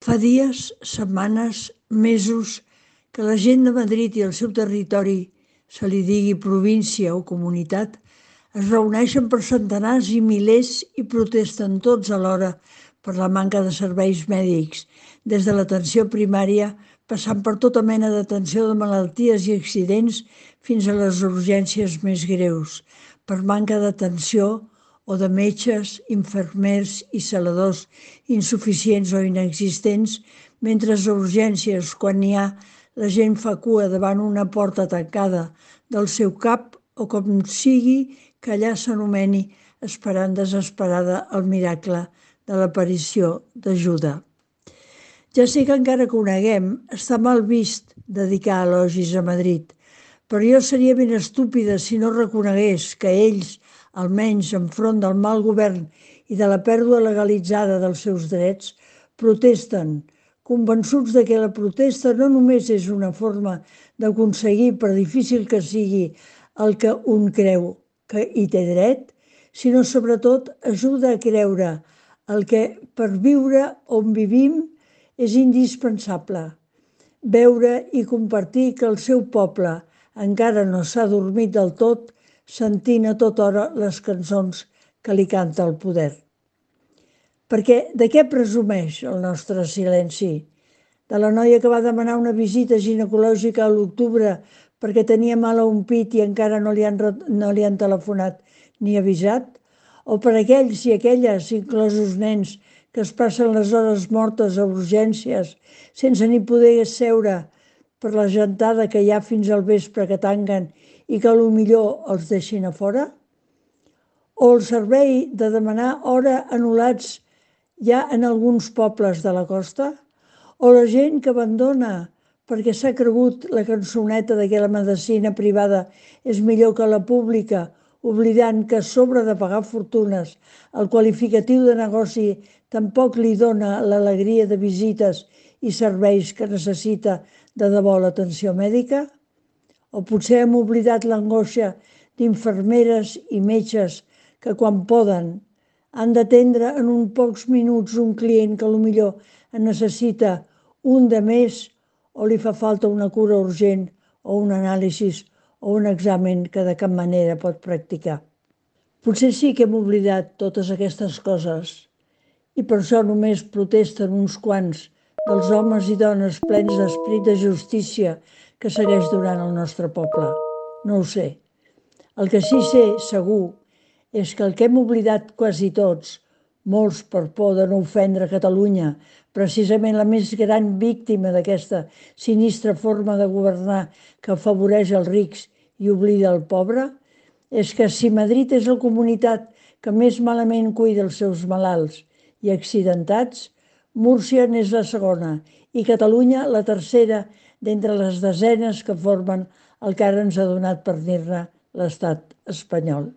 Fa dies, setmanes, mesos que la gent de Madrid i el seu territori, se li digui província o comunitat, es reuneixen per centenars i milers i protesten tots alhora per la manca de serveis mèdics, des de l'atenció primària, passant per tota mena d'atenció de malalties i accidents fins a les urgències més greus, per manca d'atenció o de metges, infermers i celadors insuficients o inexistents, mentre a urgències, quan n'hi ha, la gent fa cua davant una porta tancada del seu CAP o com sigui que allà s'anomeni, esperant desesperada el miracle de l'aparició d'ajuda. Ja sé que encara coneguem, està mal vist dedicar elogis a Madrid, però jo seria ben estúpida si no reconegués que ells, almenys enfront del mal govern i de la pèrdua legalitzada dels seus drets, protesten, convençuts de que la protesta no només és una forma d'aconseguir, per difícil que sigui, el que un creu que hi té dret, sinó sobretot ajuda a creure el que per viure on vivim és indispensable. Veure i compartir que el seu poble encara no s'ha dormit del tot, sentint a tota hora les cançons que li canta el poder. Perquè de què presumeix el nostre silenci? De la noia que va demanar una visita ginecològica a l'octubre perquè tenia mal a un pit i encara no li han telefonat ni avisat? O per aquells i aquelles, inclosos nens, que es passen les hores mortes a urgències sense ni poder seure per la gentada que hi ha fins al vespre que tanquen i que millor els deixin a fora? O el servei de demanar hora anul·lats ja en alguns pobles de la costa? O la gent que abandona perquè s'ha cregut la cançoneta de que la medicina privada és millor que la pública, oblidant que a sobre de pagar fortunes el qualificatiu de negoci tampoc li dona l'alegria de visites i serveis que necessita de debò l'atenció mèdica? O potser hem oblidat l'angoixa d'infermeres i metges que quan poden han d'atendre en uns pocs minuts un client que potser en necessita un de més o li fa falta una cura urgent o un anàlisi o un examen que de cap manera pot practicar. Potser sí que hem oblidat totes aquestes coses i per això només protesten uns quants dels homes i dones plens d'esperit de justícia que segueix durant el nostre poble. No ho sé. El que sí sé, segur, és que el que hem oblidat quasi tots, molts per por de no ofendre Catalunya, precisament la més gran víctima d'aquesta sinistra forma de governar que afavoreix els rics i oblida el pobre, és que si Madrid és la comunitat que més malament cuida els seus malalts i accidentats, Múrcia n'és la segona i Catalunya la tercera d'entre les desenes que formen el que ara ens ha donat per dir-ne l'estat espanyol.